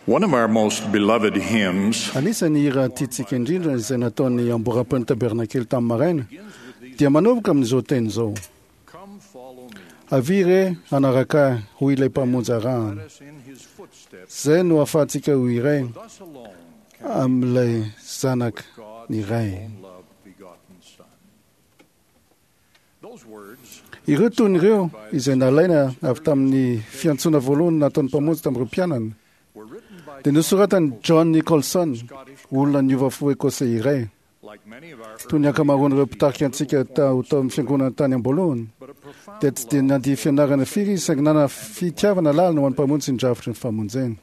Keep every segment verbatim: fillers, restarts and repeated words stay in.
One of our most beloved hymns Anisan'ny hira tiantsika indrindra izay nataon'ny amboram-pen'ny tabernakely tamin'ny maraina dia manomboka amin'izao teny izao: Come follow me. Avia re hanaraka ahy, hoy ilay mpamonjy arahana. Let us in his footsteps. Izay no ahafahantsika ho iray Thus alone can amin'ilay zanaka God's ny Ray. own love begotten Son. Those words Ireo tony ireo izay nalaina avy tamin'ny fiantsoana voalohany nataon'ny mpamonjy tamin'ireo mpianany were written by dia nosoratan'i John Nicholson, olona niova fo ekosey iray. like many of our Toy ny ankamaroan'ireo mpitarika antsika tao tao amin'ny fiangonana tany am-boalohany but a profound dia tsy dia nandia fianarana firy izy saingy nanana fitiavana lalina ho an'ny mpamonjy sy ny drafitry ny famonjena.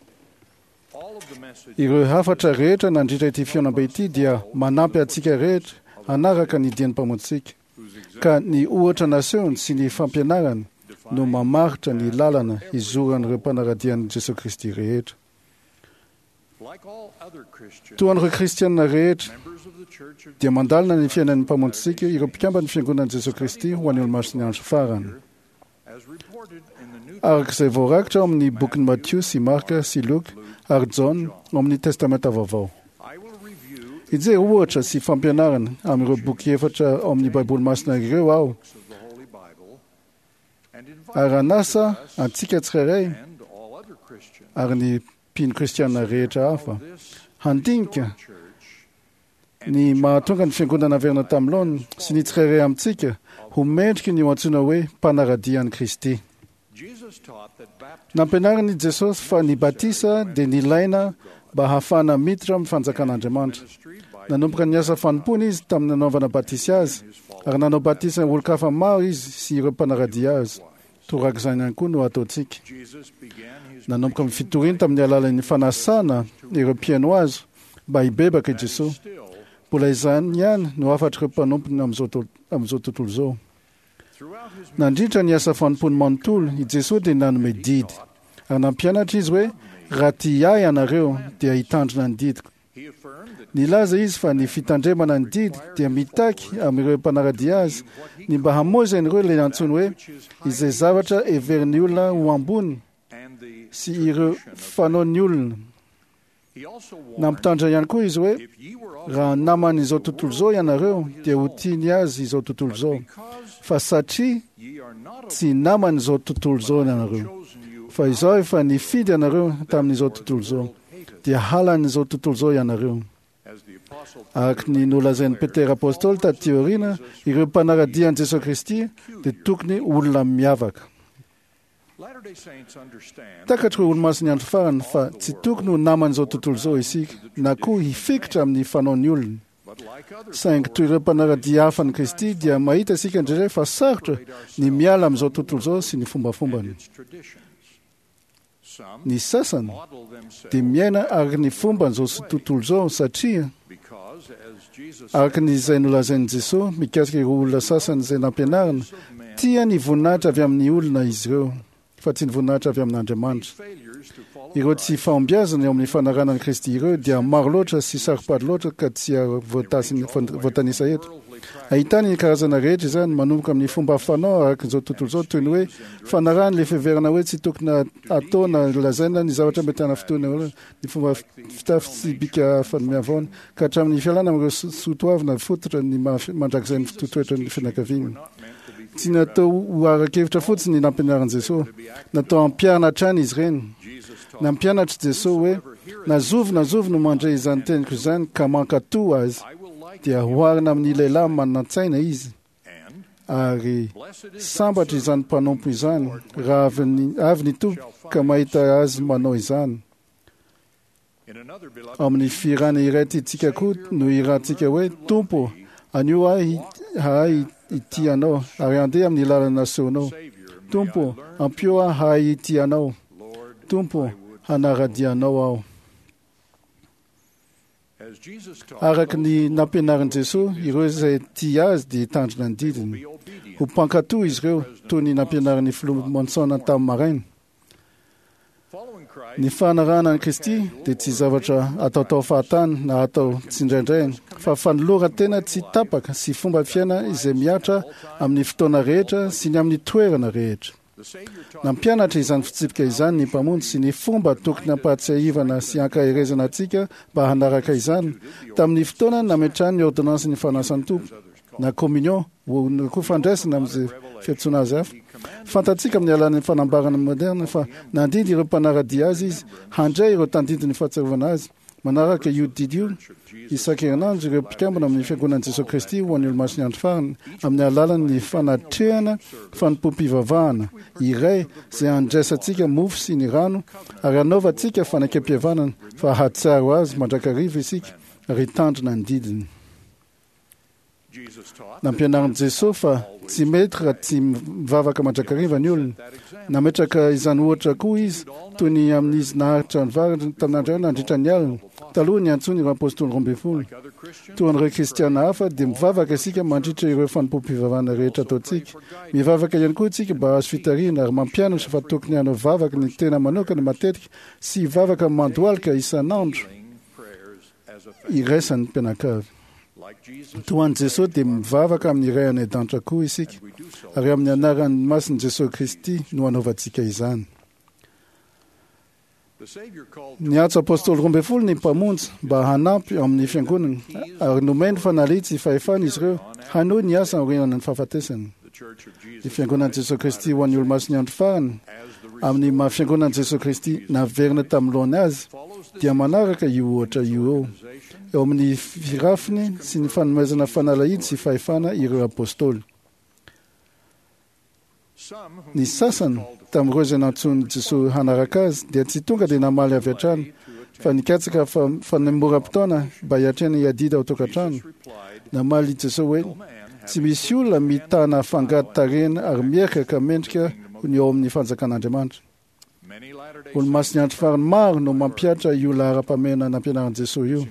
all of the message Ireo hafatra rehetra nandritra ity fihaonambe ity dia manampy antsika rehetra hanaraka ny dian'ny mpamonjitsika whose example ka ny ohatra nasehony sy ny fampianarany no mamaritra ny lalana hizoran'ireo mpanara-dian'i Jesosy Kristy rehetra. like all other Christians Toa an'ireo kristianina rehetra members of the church of dia mandalina ny fiainan'ny mpamonjitsika ireo mpikamban'ny fiangonan'i Jesosy Kristy ho an'ny olomasin'ny andro farany. as reported in the New Araka izay voarakitra ao amin'ny bokin'i Matio sy Marka sy Luka ary Jaona ao amin'ny Testamenta Vaovao. I will review Hijery ohatra sy fampianarana amin'ireo boky efatra ao amin'ny Baiboly masina ireo aho books of the Holy Bible and invite ary hanasa us antsika tsirairay and all other Christians ary ny mpino kristiana rehetra hafa this handinika church ny mahatonga ny fiangonana averina tamin'ny laoniny sy ny tsirairay amintsika ho mendriky ny ho antsoina hoe mpanara-dia an'i Kristy. Jesus taught that baptism Nampianarin'i Jesosy fa ny batisa dia nilaina mba hahafahana miditra amin'ny fanjakan'Andriamanitra. ministry by Nanomboka ny asa fanompoana izy tamin'ny nanaovana batisa azy ary nanao batisa olon-kafa maro izy sy ireo mpanara-dia azy. Torak'izany ihany koa no ataontsika. Jesus began his Nanomboka ny fitoriany tamin'ny alalan'ny fanasana ireo mpihaino azy mba hibebaka i Jesosy. still Mbola izany ihany no hafatr'ireo mpanompony amin'izao to- amin'izao tontolo izao. throughout his Nandritra ny asa fanompoany manontolo, i Jesosy dia nanome didy. Ary nampianatra izy hoe raha tia ahy ianareo dia hitandrina ny didiko. he affirmed that Nilaza izy fa ny fitandremana ny didy dia mitaky amin'ireo mpanara-dia azy ny mba hamoizan'ireo ilay antsoiny hoe izay zavatra heverin'ny olona ho ambony and the sy ireo fanaon'ny olona. he also warned Nampitandrina ihany koa izy hoe if ye were of raha naman'izao tontolo izao ianareo dia ho tiany azy izao tontolo izao. because Fa satria ye are not of tsy naman'izao tontolo izao ianareo, chosen you fa izaho efa nifidy anareo tamin'izao tontolo izao, dia halan'izao tontolo izao ianareo. as the apostle Araka ny nolazain'i Petera apôstôly taty aoriana, ireo mpanara-dia an'i Jesosy Kristy dia tokony olona miavaka. Latter-day Saints understand Takatr'ireo olomasin'ny andro farany fa tsy tokony ho naman'izao tontolo izao isika, na koa hifikitra amin'ny fanaon'ny olona. but like other Saingy toy ireo mpanara-dia hafa an'i Kristy dia mahita isika indraindray fa sarotra ny miala amin'izao tontolo izao sy ny fombafombany. its traditions some Ny sasany model themselves dia miaina araka ny fomban'izao sy tontolo izao satria because as Jesus araka ny izay nolazain'i Jesosy mikasika ireo olona sasany izay nampianarina, tia ny voninahitra avy amin'ny olona izy ireo fa tsy ny voninahitra avy amin'Andriamanitra. failures to follow Ireo tsy fahombiazana eo amin'ny fanarahana an'i Kristy ireo dia maro loatra sy saro-pady loatra ka tsy voatasy- voatanisa eto. Ahitana ny karazana rehetra izany manomboka amin'ny fomba fanao araka izao tontolo izao toy ny hoe fanarahana ilay fiheverana hoe tsy tokony atao na lazaina ny zavatra mety hanafintohina olona, ny fomba fitafy sy bika fanome-avaona ka hatramin'ny fialana amin'ireo so- soatoavina fototra ny maha- mandrakizay ny toetoetran'ny fianakaviana. not meant to be Tsy natao ho ara-kevitra fotsiny ny nampianarin'i Jesosy, natao hampiharina hatrany izy ireny. Jesus taught Nampianatra Jesosy hoe na zovy na zovy no mandre izany teniko izany ka mankatò azy I will like dia hoharina amin'ny lehilahy manan-tsaina izy and ary blessed is sambatra izany mpanompo izany raha avy ny, avy ny tompo ka mahita azy manao izany. in another beloved Amin'ny fihirana iray tiantsika koa no hirantsika hoe Tompo, anio ahy hahay hitia anao ary handeha amin'ny lalana nasehonao. Savior may Tompo, I learn ampio ahy hahay hitia anao. Lord Tompo, hanara-dia anao aho. as Jesus taught Araka ny nampianarin'i Jesosy, ireo izay tia azy dia hitandrina ny didiny. be obedient Ho mpankatò izy ireo toy ny nampianarin'ny filoha Monson tamin'ny maraina. following Christ Ny fanarahana an'i Kristy dia tsy zavatra ataotao fahatany na atao tsindraindraina, fa fanoloran-tena tsy tapaka sy fomba fiaina izay mihatra amin'ny fotoana rehetra sy ny amin'ny toerana rehetra. Nampianatra izany fitsipika izany ny Mpamonjy sy ny fomba tokony hampahatsiahivana sy ankaherezana antsika mba hanaraka izany tamin'ny fotoana nametrahany ny ordonnance ny fanasan'ny Tompo na communion na koa fandraisana amin'izay fiantsoana azy hafa. Fantatsika amin'ny alalan'ny fanambarana moderna fa nandidy ireo mpanara-dia azy izy handray ireo tandindon'ny fahatsiarovana azy. Manaraka io didy io isan-kerinandro ireo mpikambana amin'ny fiangonan'i Jesosy Kristy ho an'ny Olomasin'ny Andro Farany amin'ny alalan'ny fanatrehana fanompoam-pivavahana iray izay handraisantsika mofo sy ny rano ary hanaovantsika fanekempihavanana fa hahatsiaro azy mandrakariva isika ary hitandrina ny didiny. Nampianarin'i Jesosy fa tsy mety raha tsy mivavaka mandrakariva ny olona. Nametraka izany ohatra koa izy toy ny amin'izy naharitra nivavaka tamin'Andriamanitra nandritra ny alina, taloha ny antsoiny ireo apôstôly roa ambin'ny folo. Toa an'ireo kristiana hafa dia mivavaka isika mandritra ireo fanompoam-pivavahana rehetra ataontsika. Mivavaka ihany koa isika mba hahazo fitarihana ary mampianatra fa tokony hanao vavaka ny tena manokana matetika sy hivavaka mandohalika isan'andro iraisan'ny mpianakavy. Toa an'i Jesosy dia mivavaka amin'ny Ray any an-danitra koa isika, ary amin'ny anaran'ny masin'i Jesosy Kristy no anaovantsika izany. Niantso apôstôly roa ambin'ny folo ny Mpamonjy mba hanampy amin'ny fiangonana, ary nomeny fanalitsy sy fahefana izy ireo hanohy ny asa aorian'ny fahafatesany. Ny fiangonan'i Jesosy Kristy ho an'ny Olomasin'ny Andro Farany, amin'ny maha fiangonan'i Jesosy Kristy naverina tamin'ny laony azy, dia manaraka io ohatra io eo eo amin'ny firafiny sy ny fanomezana fanalahidy sy fahefana ireo apôstôly. Ny sasany tamin'ireo izay nantsoin'i Jesosy hanaraka azy dia tsy tonga dia namaly avy hatrany fa nikatsaka fanemoram-potoana mba hiatrehana hiadidy ao an-tokantrano. Namaly Jesosy hoe tsy misy olona mitana fangady tarehina ary mierika ka mendrika ny ao amin'ny fanjakan'Andriamanitra. Olomasin'ny Andro Farany maro no mampihatra io laharam-pahamehana nampianarin'i Jesosy io.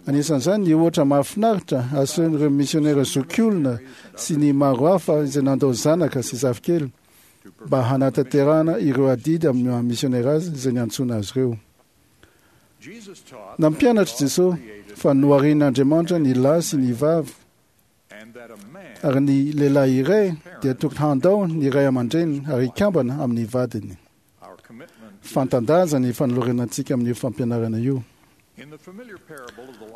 Anisan'izany ny ohatra mahafinaritra asehon'ireo misionera zokiolona sy ny maro hafa izay nandao zanaka sy zafikely mba hanatanterahana ireo adidy amin'ny maha misionera azy izay niantsoana azy ireo. Nampianatra Jesosy fa noharian'Andriamanitra ny lahy sy ny vavy ary ny lehilahy iray dia tokony handao ny ray aman-dreniny ary hikambana amin'ny vadiny. Fantan-daza ny fanolorana antsika amin'io fampianarana io.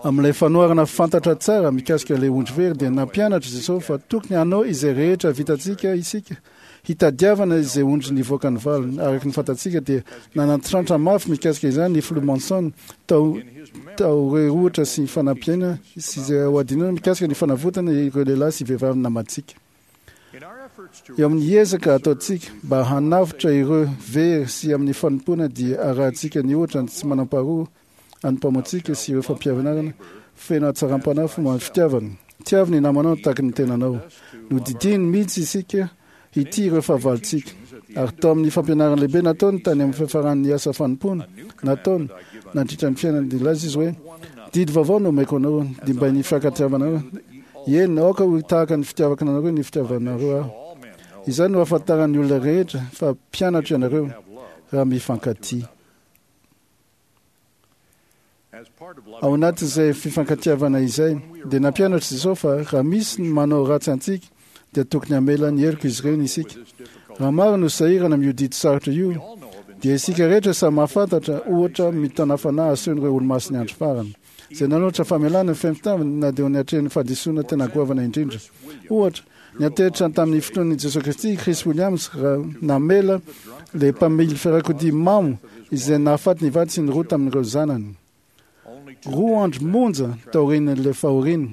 Amin'ilay fanoharana fantatra tsara mikasika ilay ondry very dia nampianatra Jesosy fa tokony hanao izay rehetra vitantsika isika hitadiavana izay ondry nivoaka ny valiny. Araka ny fantatsika dia nanantrantra mafy mikasika izany ny filoha Monson tao tao ohatra sy fanampiana sy izay ho adinoina mikasika ny fanavotana ireo lehilahy sy vehivavy namantsika. Eo amin'ny ezaka ataontsika mba hanavotra ireo very sy amin'ny fanompoana dia arahantsika ny ohatra ny tsy manam-paharoa an'ny Mpamonjy sy ireo fampianarana feno hatsaram-panahy fomba fitiavana. Tiavo ny namanao tahaka ny tenanao. Nodidiany mihitsy isika hitia ireo fahavalontsika. Ary tao amin'ny fampianarana lehibe nataony tany amin'ny fiafaran'ny asa fanompoana nataony nandritra ny fiainany dia nilaza izy hoe didy vaovao no omeko anao dia mba ny fifankatiavanareo. Eny, aoka ho tahaka ny fitiavako anareo ny fitiavanareo aho. Izany no ahafantaran'ny olona rehetra fa mpianatro ianareo raha mifankatia. Ao anatin'izay fifankatiavana izay dia nampianatra Jesosy fa raha misy ny manao ratsy antsika dia tokony hamela ny heloka izy ireny isika. Raha maro no sahirana amin'io didy sarotra io dia isika rehetra samy mahafantatra ohatra mitana fanahy asehon'ireo Olomasin'ny Andro Farany izay nanolotra famelana ny feno na dia niatrehan'ny fahadisoana tena goavana indrindra. Ohatra, niantehitra tamin'ny finoan'i Jesosy Kristy Chris Williams raha namela ilay mpamily fiarakodia mamo izay nahafaty ny vady sy ny roa tamin'ireo zanany. Roa andro monja taorian'ilay fahoriana,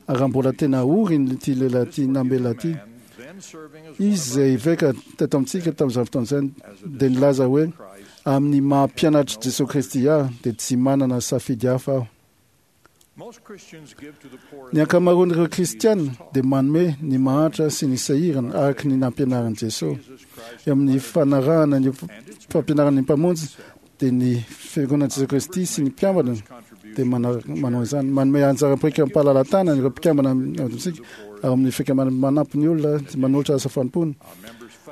ary raha mbola tena ory ity lehilahy ity namela ity, izy izay eveka teto amintsika tamin'izany fotoana izany dia nilaza hoe amin'ny maha mpianatr'i Jesosy Kristy ahy dia tsy manana safidy hafa aho. Ny ankamaroan'ireo kristiana dia manome ny mahantra sy ny sahirana araka ny nampianarin'i Jesosy. Eo amin'ny fanarahana ny fampianaran'ny Mpamonjy dia ny fiangonan'i Jesosy Kristy sy ny mpikambana dia manao izany. Manome anjara biriky am-pahalalan-tanana ireo mpikambana amintsika ary amin'ny fikambanana manampy ny olona manolotra asa fanompoana.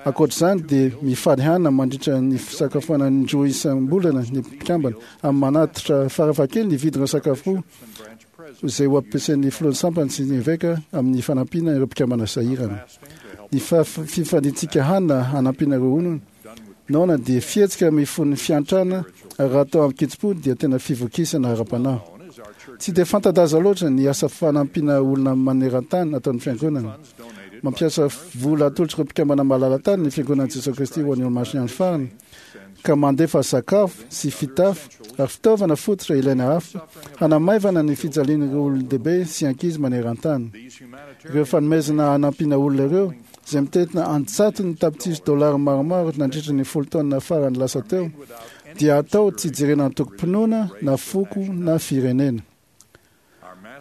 Ankoatra izany dia mifaly hanina mandritra ny fisakafoanana indroa isam-bolana ny mpikambana amin'ny manatitra farafahakeliny ny vidin'ireo sakafo izay ho ampiasain'ny filohan'ny sampana sy ny eveka amin'ny fanampiana ireo mpikambana sahirana. Ny fifandintsika hanina hanampiana ireo olona naona dia fihetsika mifono fiantrana, ary raha atao amin-kitsim-po dia tena fivokisana ara-panahy. Tsy dia fanta-daza loatra ny asa fanampiana olona maneran-tany ataon'ny fiangonana. Mampiasa vola atolotr'ireo mpikambana malala-tany ny Fiangonan'i Jesosy Kristy ho an'ny Olomasin'ny Andro Farany, ka mandefa sakafo sy fitafy ary fitaovana fototra ilaina hafa hanamaivana ny fijalian'ireo olon-dehibe sy ankizy maneran-tany. Ireo fanomezana hanampiana olona ireo, izay mitentina antsatony tapitrisa dolara maromaro nandritra ny folo taona farany lasa teo, dia atao tsy jerena antokom-pinoana na foko na firenena.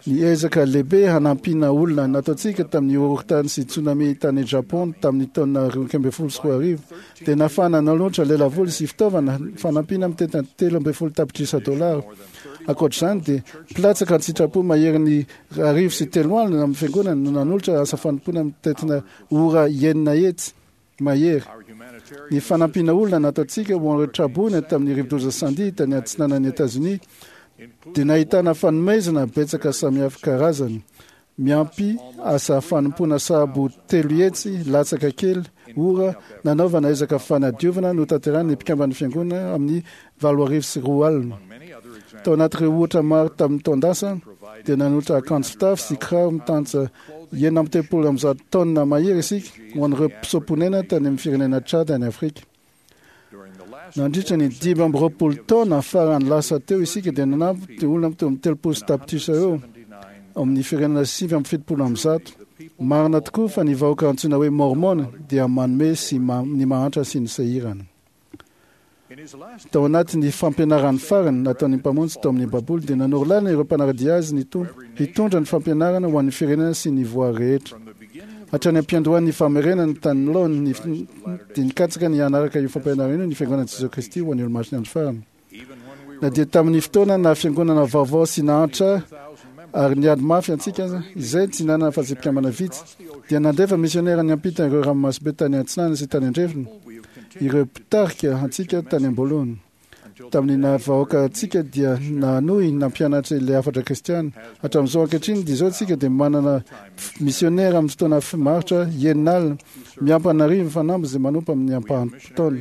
Ny ezaka lehibe hanampiana olona nataontsika tamin'ny horohorontany sy tsunami tany Japon tamin'ny taona roa ambin'ny folo sy roa arivo dia nahafahana nanolotra lelavola sy fitaovana fanampiana mitentina telo ambin'ny folo tapitrisa dolara. Ankoatr'izany dia mpilatsaka an-tsitrapo maherin'ny arivo sy telo alina amin'ny fiangonana no nanolotra asa fanompoana mitentina ora enina hetsy mahery. Ny fanampiana olona nataontsika ho an'ireo traboina tamin'ny rivodoza Sandy tany atsinanan'i Etazonia dia nahitana fanomezana betsaka samihafa karazany, miampy asa fanompoana sahabo telo hetsy latsaka kely ora nanaovana ezaka fanadiovana notanterahiny ny mpikamban'ny fiangonana amin'ny valo arivo sy roa alina. Tao anatin'ireo ohatra maro tamin'ny taon-dasa dia nanolotra akanjo fitafy sy kiraro mitantsa enina amby telopolo amby zato taonina mahery isika ho an'ireo mpisoa-ponena tany amin'ny firenena Tchad any Afrika. Nandritra ny dimy amby roapolo taona farany lasa teo isika dia nanampy dia olona teo amin'ny telopolo sy tapitrisa eo amin'ny firenena sivy amby fitopolo amby zato. Marina tokoa fa ny vahoaka antsoina hoe Mormona dia manome sy ma, ny mahantra sy ny sahirana. Tao anatin'ny fampianarany farany nataon'ny Mpamonjy tao amin'ny Baiboly dia nanoro lalana ireo mpanara-dia azy ny Tompo hitondra ny fampianarana ho an'ny firenena sy ny voary rehetra. Hatrany am-piandohan'ny famerenana ny tany laoniny dia nikatsaka ny hanaraka io fampianarana io ny Fiangonan'i Jesosy Kristy ho an'ny Olomasin'ny Andro Farany. Na dia tamin'ny fotoana na fiangonana vaovao sy nahantra ary niady mafy antsika aza, izay tsy nanana afa-tsy mpikambana vitsy, dia nandefa misionera niampita ireo ranomasimbe tany atsinanana sy tany andrefana ireo mpitarika antsika tany am-boalohany. Tamin'ny naha-vahoaka antsika dia nanohy nampianatra ilay hafatra kristiana. Hatramin'izao ankehitriny dia izao tsika dia manana misionera amin'ny fotoana maharitra enina alina miampy an'arivo fanamby izay manompo amin'ny ampaham-potoana.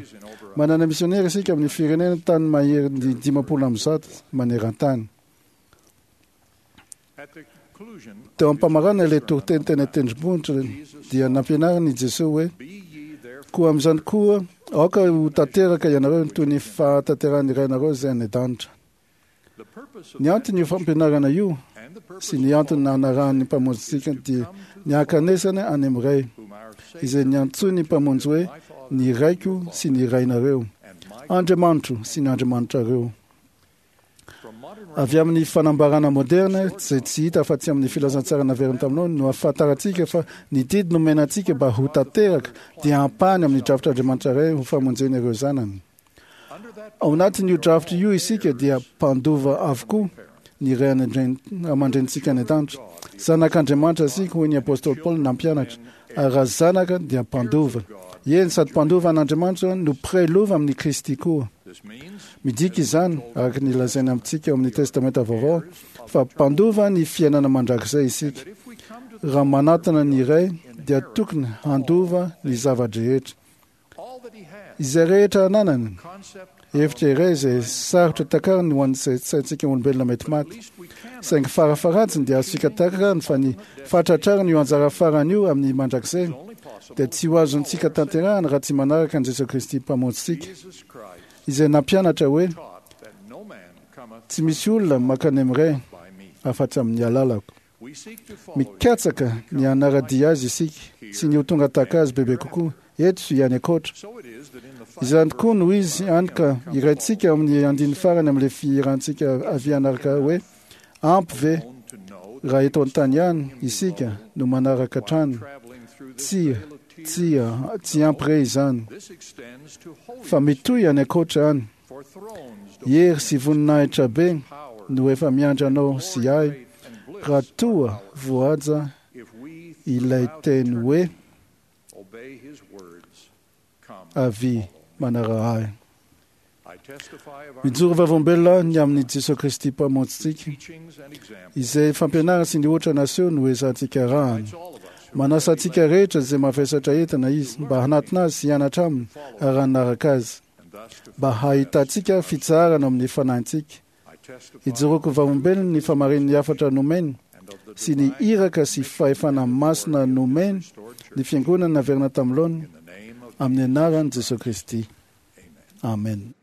Manana misionera isika amin'ny firenena tany maherin'ny dimampolo amby zato maneran-tany. Teo am-pamarana ilay toriteny teny an-tendrombohitra dia nampianariny i Jesosy hoe: koa amin'izany koa aoka ho tanteraka ianareo toy ny fahatanterahan'ny Rainareo izay any an-danitra. Ny anton'io fampianarana io sy ny antony nanarahan'ny Mpamonjintsika dia ny hankanesana any amin'ny Ray, izay niantsoin'ny Mpamonjy hoe ny Raiko sy ny Rainareo, Andriamanitro sy ny Andriamanitrareo. Avy amin'ny fanambarana moderna izay tsy hita afa-tsy amin'ny filazantsara naverina taminao no ahafantarantsika fa ny didy nomena antsika mba ho tanteraka dia ampahany amin'ny drafitr'Andriamanitra Ray ho famonjena ireo zanany. Ao anatin'io drafitra io isika dia mpandova avokoa ny ray aman-drenintsika any an-danitra. Zanak'Andriamanitra isika, hoy ny apostoly Paoly nampianatra, ary raha zanaka dia mpandova. Eny, sady mpandova an'Andriamanitra no mpiray lova amin'i Kristy koa. Midika izany, araka ny lazaina amintsika ao amin'ny Testamenta Vaovao, fa mpandova ny fiainana mandrakizay isika. Raha manatona ny Ray dia tokony handova ny zava-drehetra. Izay rehetra ananany. Hevitra iray izay sarotra takariny ho an'ny saintsika olombelona mety maty. Saingy farafaharatsiny dia azontsika takarina fa ny fahatratrarana io anjara farany io amin'ny mandrakizay dia tsy ho azontsika tanterahana raha tsy manaraka an'i Jesosy Kristy Mpamonjintsika, izay nampianatra hoe: tsy misy olona mankany amin'ny Ray afa-tsy amin'ny alalako. Mikatsaka ny hanara-dia azy isika sy ny ho tonga tahaka azy bebe kokoa eto sy any ankoatra. Izany tokoa no izy, hany ka iraintsika amin'ny andininy farany amin'ilay fihirantsika avy hanaraka hoe: ampy ve raha eto an-tany ihany isika no manaraka hatrany? Tsia, tsia, tsy ampy re izany, fa mitohy any ankoatra any. Hery sy voninahitra be no efa miandry anao sy ahy raha toa voahaja ilay teny hoe: avia manaraha ahy. Mijoro vavolombelona ny amin'i Jesosy Kristy Mpamonjintsika, izay fampianarana sy ny ohatra naseho no ezahantsika arahana. Manasa antsika rehetra izay mavesatra entana Izy mba hanatona Azy sy hianatra aminy ary hanaraka Azy, mba hahitantsika fitsaharana amin'ny fanahintsika. Ijoroako vavolombelona ny fahamarinan'ny hafatra nomeny sy ny iraka sy fahefana masina nomeny ny Fiangonana naverina tamin'ny laoniny, amin'ny anaran'i Jesoa Kristy. Amen.